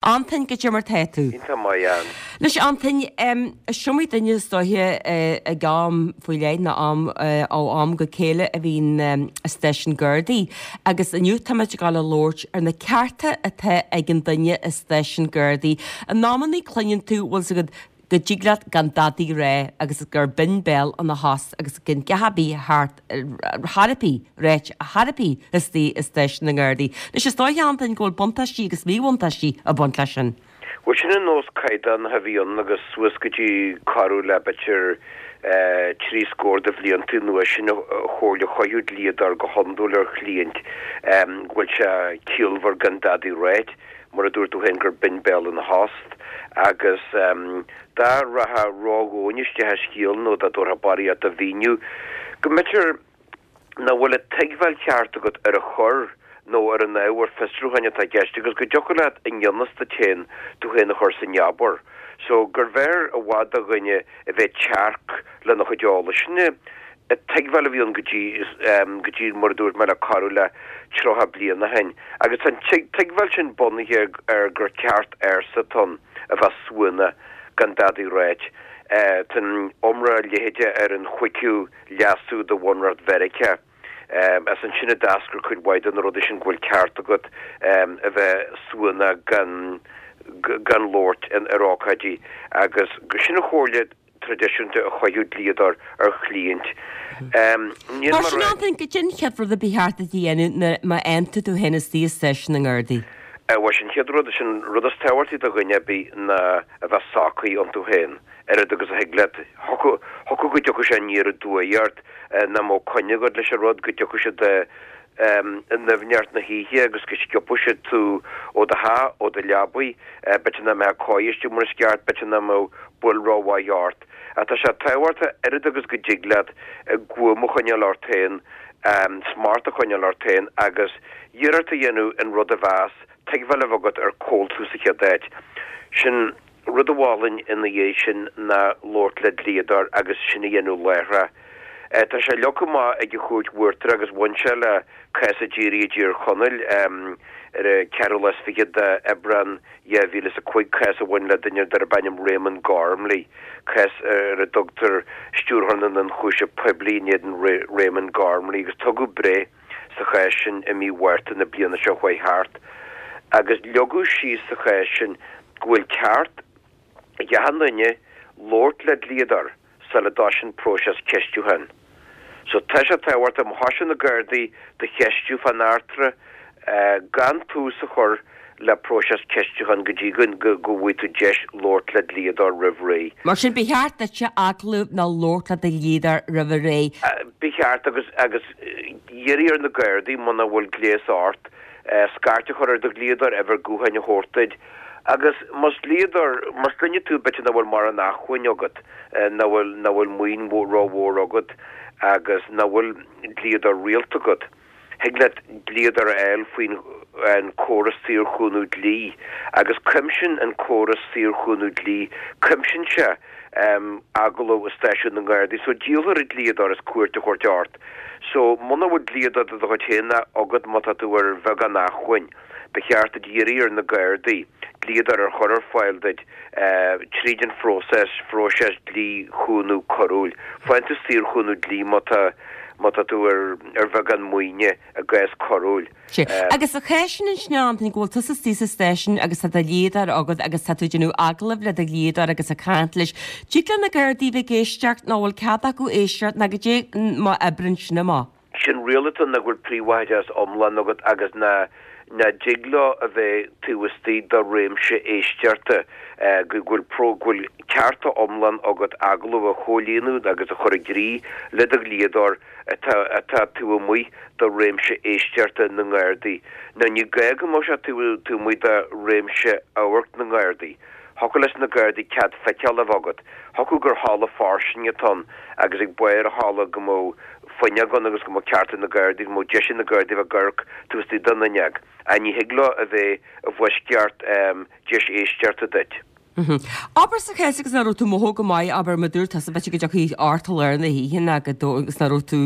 Antain, goidé mar tá tú? Iontach maith, Ann. Anois, Antain, is iomaí duine is dóiche ag am faoi leith nó am ó am go céile a bhíonn i stáisiún Gardaí agus inniu táimid ag dul a labhairt ar na cearta atá ag an duine i stáisiún Gardaí. In amannaí cluineann tú, bhfuil 's agat, go dtig leat gan dadaí rá agus gur binn béal ina thost agus gan dhath ar bith thart chor ar bith ráite chor ar bith istigh i stáisiún na nGardaí. Anois is dóiche, Antain, go bhfuil buntáistí agus míbhuntáistí ag baint leis sin. Bhuel, sin an nós caighdeánach a bhí ann agus suas go dtí corradh le b'fhéidir 30 scór de bhlianta anuas, sin an chomhairle a chuirfeadh dlíodóir go hiondúil ar chliaint, go bhfuil sé ciallmhar gan dadaí ráit. mar a dúirt tú féin, gur binn béal ina thost, agus dá rachfá ródhomhain isteach i scéal nó dá dtabharfá barraíocht de mhíniú, go mb'fhéidir nach bhfuil an tuigbheáil cheart agat ar an choir nó ar an ábhar fiosrúcháin atá i gceist agus go dtiocfadh leat i ngan fhios duit féin tú féin a chur sa ngeabar. So, gurbh fhearr i bhfad do dhuine a bheith tearc lena chuid eolais. Sin an tuigbheáil a bhí ann go dtí, go dtí, mar a dúirt mé, le corradh le 30 bliain ó shin. Agus tá an tuigbheáil sin bunaithe ar gur ceart ársa atá ann a bheith suanach gan dadaí ráit. Tá an iomrá leithéide ar an chúigiú leasú de Bhunreacht Mheiriceá. As ansin a d'eascair cuid mhaith de na rudaí sin go bhfuil ceart agat a bheith suanach gan gan labhairt ar ócáidí agus sin an chomhairle traidisiúnta a chuirfeadh dlíodóir ar chliaint. Níl Mar sin Antain, goidé an chéad rud a ba cheart duit a dhéanamh nuair má fhaigheann tú tú féin istigh i stáisiún na nGardaí? Bhuel, sin an chéad rud, sin an rud is tábhachtaí do dhuine ar bith ná a bheith socraithe iontu féin. Oiread agus a thig leat. Thiocfadh go dtiocfadh sé aniar aduaidh ort, nach mbeadh coinne agat leis an rud, go dtiocfadh siad i ndoimhneacht na hoíche agus go sciobfadh siad tú ó do theach, ó do leabaidh, b'fhéidir nach mbeadh cóir istigh mar is ceart, b'fhéidir nach mbeadh buil rómhaith ort. Ach tá sé tábhachtach, oiread agus go dtig leat, guaim a choinneáil ort féin, smacht a choinneáil ort féin agus iarracht a dhéanamh an rud a mheas, tuigbheáil a bheith agat ar cá bhfuil tú sa chéad áit. Sin. Rud a mholfainn ina dhiaidh sin ná labhairt le dlíodóir agus sin a dhéanamh láithreach. Tá sé leagtha amach ag an Chúirt Uachtarach agus bhain sé le cás a d'éirigh i dTír Chonaill ar an ceathrú lá is fichead de Aibreán 2005, cás a bhain le duine darb ainm Raymond Gormley, cás ar a dtugtar Stiúrthóir na nIonchúiseamh Poiblí in éadan Raymond Gormley agus tugadh breith sa chás sin i mí Mhárta na bliana seo chuaigh thart agus leagadh síos sa chás sin go bhfuil ceart ag achan duine labhairt le dlíodóir sula dtoisíonn próiseas ceistiúcháin. So tá sé tábhachtach má thosaíonn na Gardaí do cheistiú fán eachtra gan tús a chur le próiseas ceistiúcháin go dtí go bhfaighidh tú deis labhairt le dlíodóir roimh ré. Mar sin, ba cheart duitse agallamh nó labhairt le do dhlíodóir roimh ré. Ba cheart agus agus iarraidh ar na Gardaí, muna bhfuil gléas ort, scairt a chur ar do dhlíodóir, uimhir gutháin a thabhairt duit. Agus más dlíodóir, más duine tú b'fhéidir nach bhfuil mórán acmhainn agat, nach bhfuil nach bhfuil maoin rómhór agat agus nach bhfuil dlíodóir rialta agat, Thig leat dlíodóir a fháil faoin an córas saorchúnamh dlí agus cuimsíonn an córas saorchúnamh dlí, cuimsíonn sé agallamh i stáisiún na nGardaí. So díolfar an dlíodóir as cuairt a thabhairt ort. So muna bhfuil dlíodóir de do chuid féin agat má tá tú ar bheagán acmhainn, Ba cheart duit iarraidh ar na Gardaí dlíodóir a chur ar fáil duit tríd an phróiseas, phróiseas dlí-chúnamh coiriúil. Faigheann tú saorchúnamh dlí má tá, má tá tú ar, ar bheagán maoine i gcás coiriúil. Sea. Agus sa chás sin ansin, a Antaine, go bhfuil tusa istigh sa stáisiún agus tá do dhlíodóir agat agus tá tú ag déanamh agallaimh le do dhlíodóir agus ag caint leis, dtig le na Gardaí bheith ag éisteacht nó bhfuil cead acu éisteacht nó goidé mar a oibríonn sin amach? Sé'n riail atá ann ná go bhfuil príobháideachas iomlán agat agus nach dtig leo a bheith taobh istigh de réimse éisteachta, go bhfuil go bhfuil cearta iomlán agat agallamh a chomhlíonadh agus a chur i gcrích le do dhlíodóir atá atá taobh amuigh de réimse éisteachta na nGardaí. Now ní gá go mbeadh sé taobh amuigh de réimse amhairc na nGardaí. Thiocfadh leis na Gardaí cead feiceála a bheith agat. Thiocfadh gur halla fairsing atá ann agus ag barr an halla go mbeadh fuinneog ann agus go mbeadh ceart ag na Gardaí, go mbeadh deis ag na Gardaí a bheith ag amharc taobh istigh den fhuinneog. Ach ní thig leo a bheith i bhfoisceacht deis éisteachta duit. Abair sa chás agus nach raibh tú mothú go maith, abair mar dúirt tusa b'fhéidir go dtiocfaidh ort i lár na hoíche ná go dó agus nach raibh tú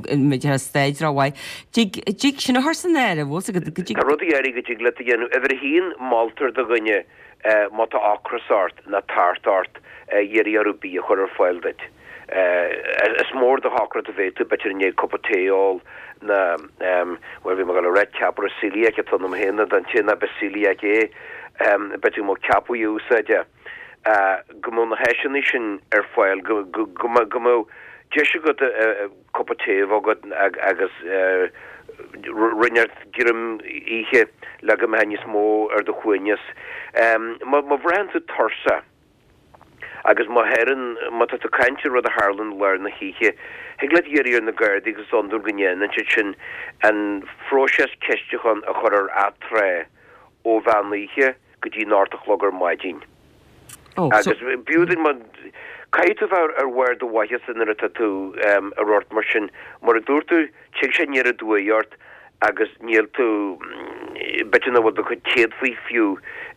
b'fhéidir i staid rómhaith. Dtig, dtig sin a chur san áireamh, bhfuil 's agat, go dtig. Tá rudaí áirithe go dtig leat a dhéanamh. Uimhir a haon, moltar do dhuine má tá ocras ort ná tart ort iarraidh orthu bia a chur ar fáil duit. Is mór do shocracht a bheidh tú, b'fhéidir i ndiaidh cupa tae a ól ná, bhuel, bhí mé ag dul a rá ceapaire celiac atá ionam féin, don té nach bith celiac é, b'fhéidir go mbeadh ceapaí a úsáid é. Go mbeadh na háiseanna sin ar fáil, go mbeadh deis agat cupa tae a bheith agat agus roinnt greim a ithe le go mbeadh níos mó ar do shuaimhneas. Má bhraitheann tú tuirseach, Agus má tharlaíonn, má tá tú ag caint ar rud a tharlaíonn i lár na hoíche, thig leat iarraidh ar na Gardaí, agus is iondúil go ndéanann siad sin, an phróiseas ceistiúcháin a chur ar atráth ó mheán oíche go dtí an 8 a chlog ar maidin. Agus b'fhiú duit, má, caithfidh tú bheith ar bharr do mhaitheasa nuair atá tú i rud mar sin. Mar a dúirt tú, Tig sé aniar aduaidh ort agus níl tú, b'fhéidir nach bhfuil do chuid céadfaí fiú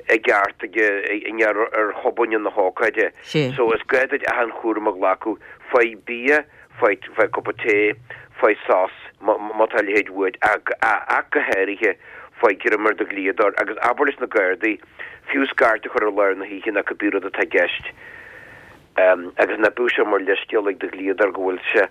i gceart ag i ngeall ar thobainne na hócáide. So is gá duit achan chúram a ghlacadh. Faigh bia, faigh faigh cupa tae, faigh sos má tá a leithéid uait ach ach go háirithe faigh greim ar do dhlíodóir agus abair leis na Gardaí fiú scairt a chur i lár na hoíche nó cibé rud atá i gceist. Agus ná bíodh sé mar leithscéal ag do dhlíodóir go bhfuil sé,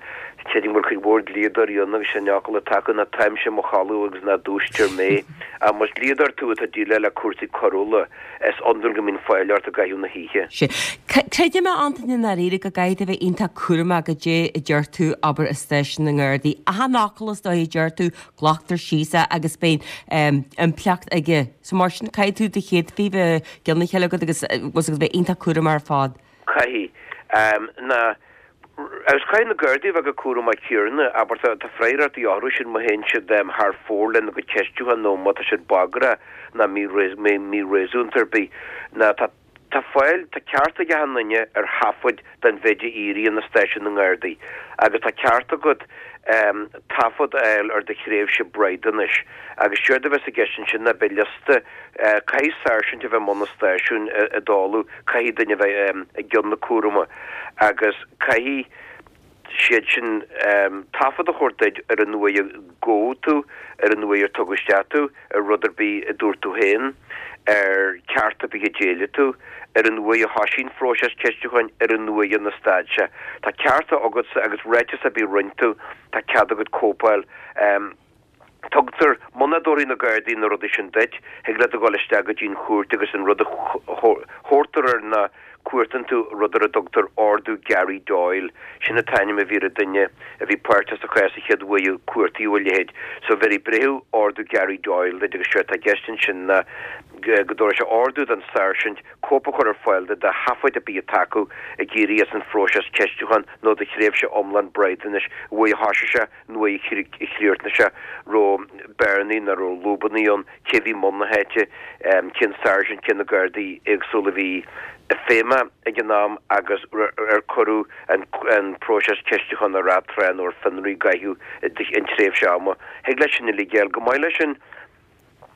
creidim go bhfuil cuid mhór dlíodóirí ann agus sé an fhocal atá acu ná táimse i mo chodladh agus ná dúisítear mé. Ach más dlíodóir tú atá ag déileáil le cúrsaí coiriúla, is iondúil go mbíonn fáil ort i gcaitheamh na hoíche. Sea. Creidim, a Antaine, i ndáiríre go gcaithfidh tú a bheith iontach cúramach goidé a deir tú, abair, i stáisiún na nGardaí. Achan fhocal is dóigh a deir tú, glactar síos é agus beidh impleacht aige. So mar sin, caithfidh tú do chéadfaí bheith i gcionn a chéile agat agus agus bheith iontach cúramach ar fad. Caithfidh. Na, agus caithfidh na Gardaí a bheith chomh cúramach céanna, abair, tá, tá freagrachtaí orthu sin má théann siad thar fóir lena gcuid ceistiúchán nó má tá siad bagrach ná mí-réasúnta ar bith. Ná tá. Tá fáil, tá ceart ag achan duine ar thaifead den mhéid a éiríonn i stáisiún na nGardaí agus tá ceart agat taifead a fháil ar do thréimhse braighdeanais agus séard a bheas i gceist ansin ná beidh liosta, caithfidh sáirsint a bheith i mbun an stáisiúin i dtólamh, caithfidh duine a bheith i gceann na cúrama agus caithfidh siad sin taifead a thabhairt duit ar an uair a gabhadh tú, ar an uair ar tugadh isteach tú, ar rud ar bith a dúirt tú féin, ar ceart ar bith a d'éiligh tú, ar an uair a thoisigh an phróiseas ceistiúcháin, ar an uair inar stad sé. Tá cearta agatsa agus ráiteas ar bith a rinne tú, tá cead agat cóip a fháil. Tugtar, muna dtabharfaidh na Gardaí na rudaí sin duit, thig leat a dhul isteach go dtí an chúirt agus an rud a thabhartar air ná cuartaíonn tú rud ar a dtugtar Ordú Gary Doyle. Sin an t-ainm a bhí ar an duine a bhí páirteach sa chás an chéad uair a cuartaíodh a leithéid. So bhéarfaidh breitheamh Ordú Gary Doyle duit agus séard atá i gceist ansin ná go dtabharfaidh sé ordú don sáirsint cóip a chur ar fáil duit de thaifid ar bith atá acu ag éirí as an phróiseas ceistiúcháin nó de thréimhse iomlán braighdeanais an uair a thoisigh sé an uair a chríochnaigh sé, raibh bearnaí nó raibh lúbannaí ann, cé bhí i mbun na háite, cén sáirsint, cé na gardaí éagsúla a bhí ag feidhmiú ag an am agus ar cuireadh an próiseas ceistiúcháin ar atráth nó ar fionraí i gcaitheamh an tréimhse ama. Thig leat sin uilig a fháil. Chomh maith leis sin,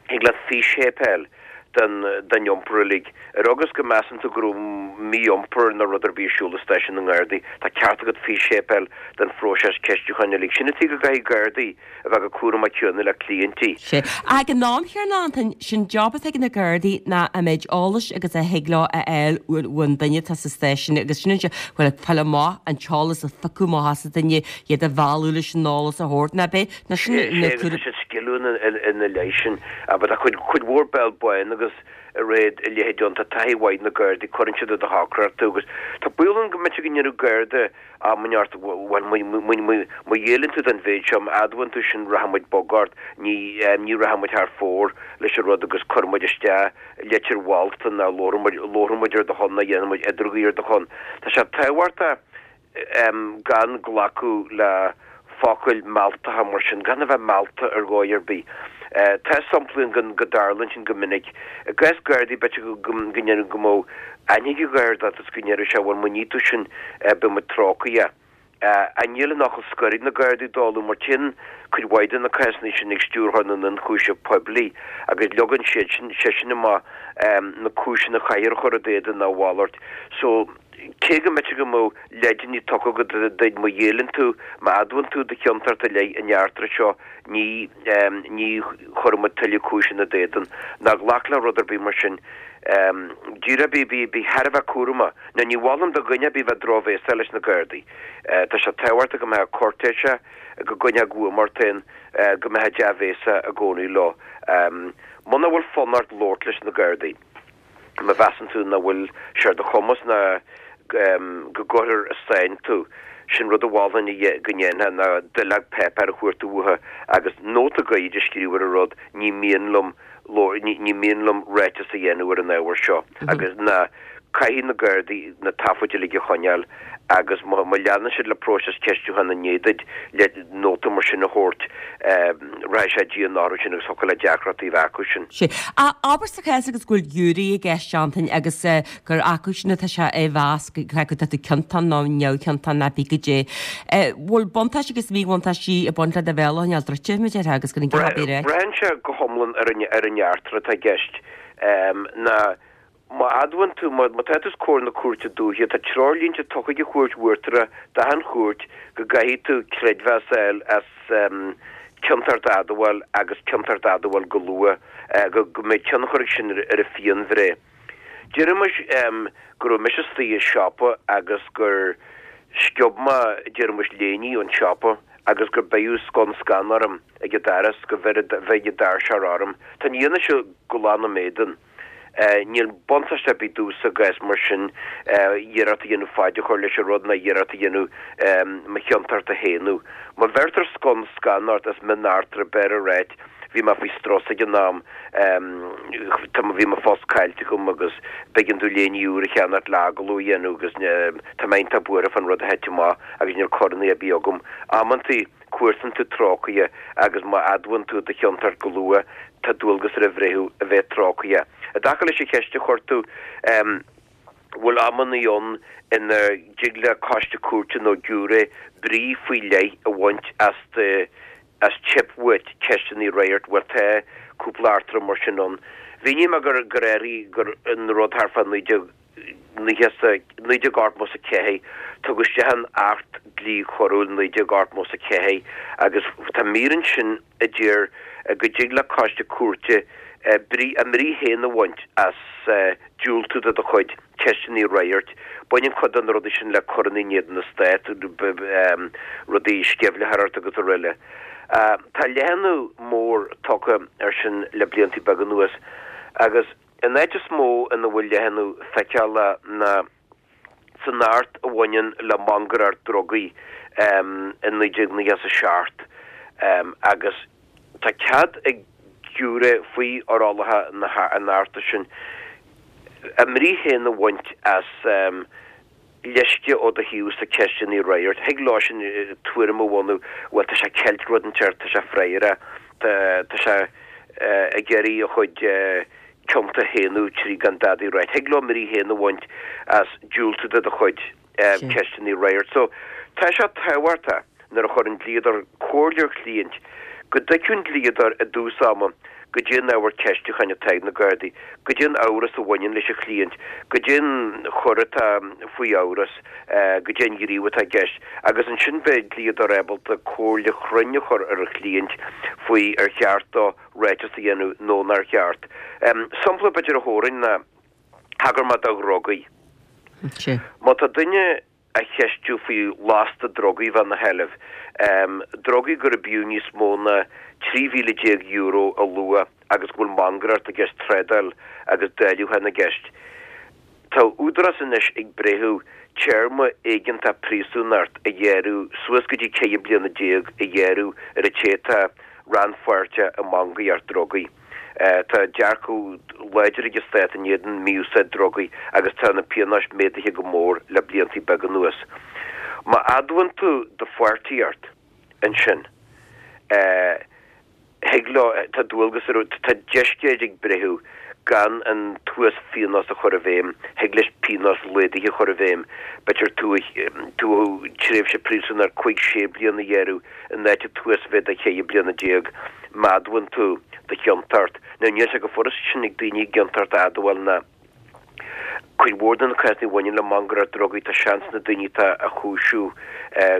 Thig leat físthéipeáil den den iompar uilig. Ar agus go measann tú go raibh mí-iompar nó rud ar bith ar siúl i stáisiún na nGardaí, tá ceart agat físthéipeáil den phróiseas ceistiúcháin uilig. Sin an tuige go gcaithfidh Gardaí a bheith chomh cúramach céanna le cliaintí. Sea. Ag an am chéanna, Antain, sin job atá ag na Gardaí ná an méid eolais agus a thig leo a fháil ón duine atá sa stáisiún agus sin an bhuel, ag fáil amach an t-eolas a phiocadh amach as an duine, iad a mhealladh leis an eolas a thabhairt, ná b'é Ná sin na Sea, agus tá siad sciliúil ina leith sin. But tá cuid, cuid mhór béal bán agus a réad a leithéid ann. Tá taithí mhaith ag na Gardaí, cuireann siad i do shocracht tú agus tá baol ann go mb'fhéidir go ndéarfadh Garda am inteacht, bhuel, má ghéilleann tú don mhéid seo, má admhaíonn tú sin, rachaidh muid bog ort, ní, ní rachaidh muid thar fóir leis an rud agus cuirfidh muid isteach litir mholta nó labharfaidh muid, labharfaidh muid ar do shon nó dhéanfaidh muid idirghuí ar do shon. Tá sé tábhachtach. gan glacadh le focail mealltacha mar sin, gan a bheith meallta ar dhóigh ar bith. Tá samplaí ann go dtarlaíonn sin go minic. I gcás Gardaí, b'fhéidir go ndéarfadh go mbeadh aithne ag an Gharda ort is go ndéarfadh sé, bhuel, má ní tú sin, beidh muid trócaireach. Ach níl an fhocal scoir ag na Gardaí dála mar téann cuid mhaith de na cásanna sin ag Stiúrthóir na nIonchúiseamh Poiblí agus leagann siad sin, seisean amach na cúiseanna a chaithfear a chur i d'éadan nó a mhalairt. So, cé go mb'fhéidir go mbeadh leideanna tugtha agat duit má ghéilleann tú, má admhaíonn tú do chiontacht i leith an eachtra seo, ní, ní chuirfidh muid tuilleadh cúiseanna i d'éadan. Ná glac le rud ar bith mar sin. Díreach bí, bí, bí thar a bheith cúramach. Now ní mholfainn do dhuine ar bith bheith drochbhéasach leis na Gardaí. Tá sé tábhachtach go mbeifeá cúirtéiseach, go gcoinneofá guaim ort féin, go mbeifeá dea-bhéasach i gcónaí leo. Muna bhfuil fonn ort labhairt leis na Gardaí, má mheasann tú nach bhfuil sé ar do chumas ná go gcuirfear i sáinn tú, sin rud a mholfainn go ndéanfá ná duilleog páipéir a chuartú uathu agus nóta gairid a scríobh ar an rud, ní mian liom ní mian liom ráiteas a dhéanamh ar an ábhar seo agus ná caithfidh na Gardaí na taifid uilig a choinneáil agus má leanann siad le próiseas ceistiúcháin i ndiaidh duit le nóta mar sin a thabhairt, rachaidh sé dian orthu sin agus thiocfadh le deacrachtaí a bheith acu sin. Sea. Abair sa chás agus go bhfuil giúiré i gceist, Antain, agus gur acu sin atá sé á mheas cé acu tá tú ciontach nó neamhchiontach nó pé goidé. Bhfuil buntáistí agus míbhuntáistí ag baint le do bhéal a choinneáil druidte, mar a déarfá, agus gan a dhath ar bith a ráit? Braitheann sé go hiomlán ar an ar an eachtra atá i gceist. Ná má admhaíonn tú, má tá tú os comhair na cúirte dúiche, tá treoirlínte tugtha ag an Chúirt Uachtarach d'achan chúirt go gcaithfidh tú creidmheas a fháil as ciontacht a admháil agus ciontacht a admháil go luath, go mbeidh tionchar ag sin ar an phianbhreith. Déarfaimis go raibh mise istigh i siopa agus gur sciob mé, déarfaimis, léiní ón tsiopa agus gur beireadh scun scan orm ag an doras, go bheir an doirseoir orm. Tá an fhianaise glan im éadan. Níl buntáiste ar bith domhsa i gcás mar sin iarracht a dhéanamh faid a chur leis an rud ná iarracht a dhéanamh mo chiontacht a shéanadh. Má bheirtear scun scan ort as mioneachtra b'fhearr a ráit Bhí mé faoi strus ag an am, tá, bhí mo phost caillte agam agus b'éigean domh léiní úr a cheannacht le agallamh a dhéanamh agus tá mé iontach buartha fán rud a thit amach agus níl corannaí ar bith agam. Amantaí cuartaíonn tú trócaire agus má admhaíonn tú do chiontacht go luath tá dualgas ar an bhreitheamh a bheith trócaire. I dtaca leis an cheist a chuir tú, bhfuil amannaí ann ina dtig le coiste cúirte nó giúiré brí faoi leith a bhaint as do as teip uait ceisteanna a fhreagairt, bhuel tá cúpla eachtra mar sin ann. Mhínigh mé gur gur éirigh gur an rud thart fá 1990 1984, tugadh isteach an Acht Dlí Choiriúil 1984 agus tá mír ansin a deir go dtig le coiste cúirte brí a mbrí féin a bhaint as diúltú de do chuid ceisteanna a fhreagairt. Baineann cuid de na rudaí sin le coireanna in éadan na Stát, rudaí sceimhlitheoireacht agus araile. Tá leathnú mór tugtha air sin le blianta beaga anuas agus an áit is mó ina bhfuil leathnú feiceálach ná san Acht a bhaineann le mangaireacht drugaí i 1997 agus tá cead ag giúiré faoi fhorálacha an Achta sin a mbrí féin a bhaint as leisce ó do thaobhsa ceisteanna a fhreagairt. Thig leo sin tuairim a bhunú, bhuel tá sé ag ceilt rud inteacht, tá sé fraorach, tá sé ag iarraidh a chuid cionta a shéanadh trí gan dadaí a ráit. Thig leo a mbrí féin a bhaint as diúltú de do chuid ceisteanna a fhreagairt. So, tá sé tábhachtach nuair a chuireann dlíodóir comhairle ar chliaint go dtuigfeadh an dlíodóir i dtús ama goidé an ábhar ceistiúcháin atá ag na Gardaí, goidé an amhras a bhaineann leis an chliaint, goidé an choir atá faoi amhras, goidé an gníomh atá i gceist agus ansin beidh dlíodóir ábalta comhairle chruinn a chur ar a chliaint faoi ar cheart dó ráiteas a dhéanamh nó nár cheart. Sampla b'fhéidir a thabharfainn ná, thagair mé do dhrugaí. Má tá duine á cheistiú faoi lasta drugaí a bheith ina sheilbh, drugaí gurb fhiú níos mó ná €13,000 a luach agus go bhfuil mangaireacht i gceist, trádáil agus dáileachán i gceist, Tá údarás anois ag breitheamh téarma éigeantach príosúnacht a ghearradh suas go dtí 14 bliana a ghearradh ar an té atá rannpháirteach i mangaíocht drugaí. Tá dearcadh láidir ag an stát in éadan mí-úsáid drugaí agus tá na pionóis méadaithe go mór le blianta beaga anuas. Má admhaíonn tú do pháirtíocht ansin, thig leo, tá dualgas ar, tá deisceid ag breitheamh. Gan an t-uas-phionós a chur i bhfeidhm, thig leis pionós laghdaithe a chur i bhfeidhm. B'fhéidir tú tréimhse príosúnachta 5, 6 bliana a ghearradh in áit an t-uasmhéid de 14 bliana má admhaíonn tú do chiontacht. Now níl sé chomh furast sin ag daoine a gciontacht a admháil ná cuid mhór de na cásanna a bhaineann le mangaireacht drugaí tá seans na daoine atá á chúisiú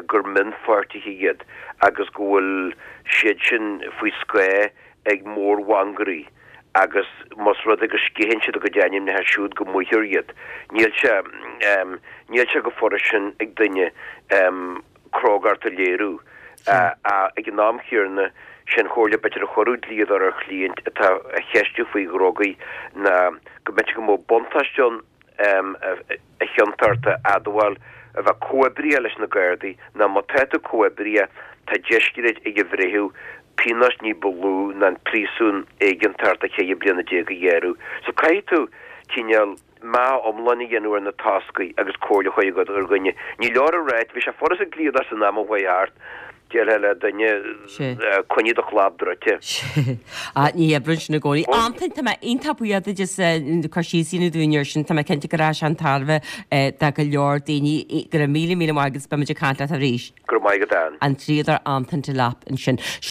gur mionpháirtithe iad agus go bhfuil siad sin faoi scáth ag mórmhangairí agus más rud é go sceitheann siad a gcuid ainmneacha siúd go maíthear iad. Níl sé, níl sé chomh furast sin ag duine crógacht a léiriú. Ag an am chéanna, sé'n chomhairle b'fhéidir a chuirfeadh dlíodóir ar chliaint atá á cheistiú faoi dhrugaí ná go mb'fhéidir go mbeadh buntáiste ann a chiontacht a admháil, a bheith comhoibríoch leis na Gardaí, ná má tá tú comhoibríoch, tá discréid ag an bhreitheamh pionós ní ba lú ná an príosún éigeantach de cheithre bliana déag a ghearradh. So caithfidh tú cineál meá iomlán a dhéanamh ar na toscaí agus comhairle a chur agat ar dhuine. Ní leor a ráit, bhí sé furast ag dlíodóir san am a chuaigh thart, déarfá le duine, coinnigh do chlab druidte. Sea. Ní oibríonn sin i gcónaí. Antain, tá mé iontach buíoch duit as cur síos a dhéanamh dúinn air sin. Tá mé cinnte go rachaidh sé chun tairbhe do go leor daoine. Go raibh míle míle maith agat agus beimid ag caint leat arís. Go raibh maith agat, Ann. An dlíodóir Antain Delap ansin.